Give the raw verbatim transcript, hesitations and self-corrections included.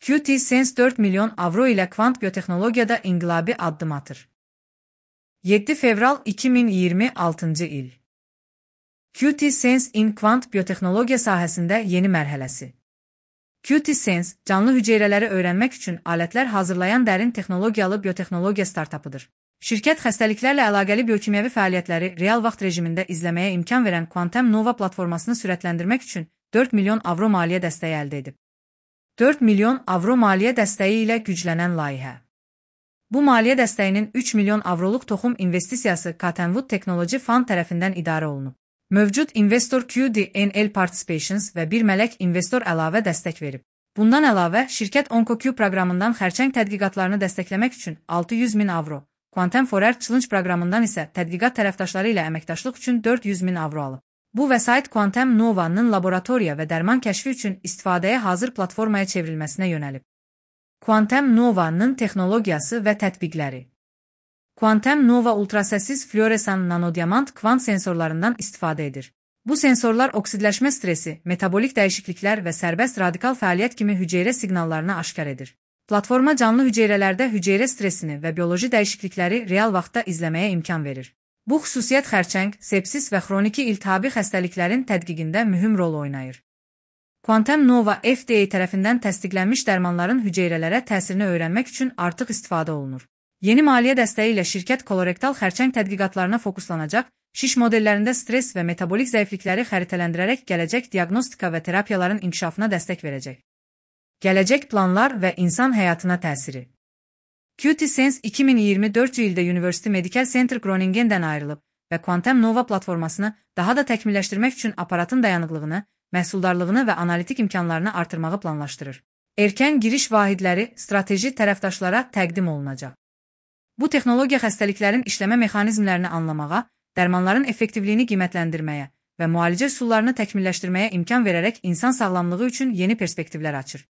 Q T Sense dört milyon avro ile kvant biyotexnologiyada inqilabi addım atır. yeddi fevral iki min iyirmi altıncı il. Q T Sense in kvant biyotexnologiya sahəsində yeni mərhələsi. Q T Sense, canlı hüceyrələri öyrənmək üçün alətlər hazırlayan dərin texnologiyalı biyotexnologiya startapıdır. Şirkət xəstəliklərlə əlaqəli biokimyəvi fəaliyyətləri real vaxt rejimində izləməyə imkan verən Quantum Nova platformasını sürətləndirmək üçün dörd milyon avro maliyyə dəstəyi əldə edib. dörd milyon avro maliyyə dəstəyi ilə güclənən layihə. Bu maliyyə dəstəyinin üç milyon avroluq toxum investisiyası Cottonwood Technology Fund tərəfindən idarə olunub. Mövcud investor Q D N L Participations və bir mələk investor əlavə dəstək verib. Bundan əlavə, şirkət OncoQ proqramından xərçəng tədqiqatlarını dəstəkləmək üçün altı yüz min avro, Quantum Forer Challenge proqramından isə tədqiqat tərəfdaşları ilə əməkdaşlıq üçün dörd yüz min avro alıb. Bu vəsait Quantum Nova'nın laboratoriya və dərman kəşfi üçün istifadəyə hazır platformaya çevrilməsinə yönəlib. Quantum Nova'nın texnologiyası və tətbiqləri. Quantum Nova ultrasəssiz fluoresan nanodiamant kvant sensorlarından istifadə edir. Bu sensorlar oksidləşmə stresi, metabolik dəyişikliklər və sərbəst radikal fəaliyyət kimi hüceyrə siqnallarını aşkar edir. Platforma canlı hüceyrələrdə hüceyrə stresini və bioloji dəyişiklikləri real vaxtda izləməyə imkan verir. Bu xüsusiyyət xərçəng, sepsis və xroniki iltihabi xəstəliklərin tədqiqində mühüm rol oynayır. Quantum Nova F D A tərəfindən təsdiqlənmiş dərmanların hüceyrələrə təsirini öyrənmək üçün artıq istifadə olunur. Yeni maliyyə dəstəyi ilə şirkət kolorektal xərçəng tədqiqatlarına fokuslanacaq, şiş modellərində stres və metabolik zəiflikləri xəritələndirərək gələcək diaqnostika və terapiyaların inkişafına dəstək verəcək. Gələcək planlar və insan həyatına təsiri. Q T Sense iki min iyirmi dördüncü ildə University Medical Center Groningen'dən ayrılıb və Quantum Nova platformasını daha da təkmilləşdirmək üçün aparatın dayanıqlığını, məhsuldarlığını və analitik imkanlarını artırmağı planlaşdırır. Erkən giriş vahidləri strateji tərəfdaşlara təqdim olunacaq. Bu texnologiya xəstəliklərin işləmə mexanizmlərini anlamağa, dərmanların effektivliyini qiymətləndirməyə və müalicə üsullarını təkmilləşdirməyə imkan verərək insan sağlamlığı üçün yeni perspektivlər açır.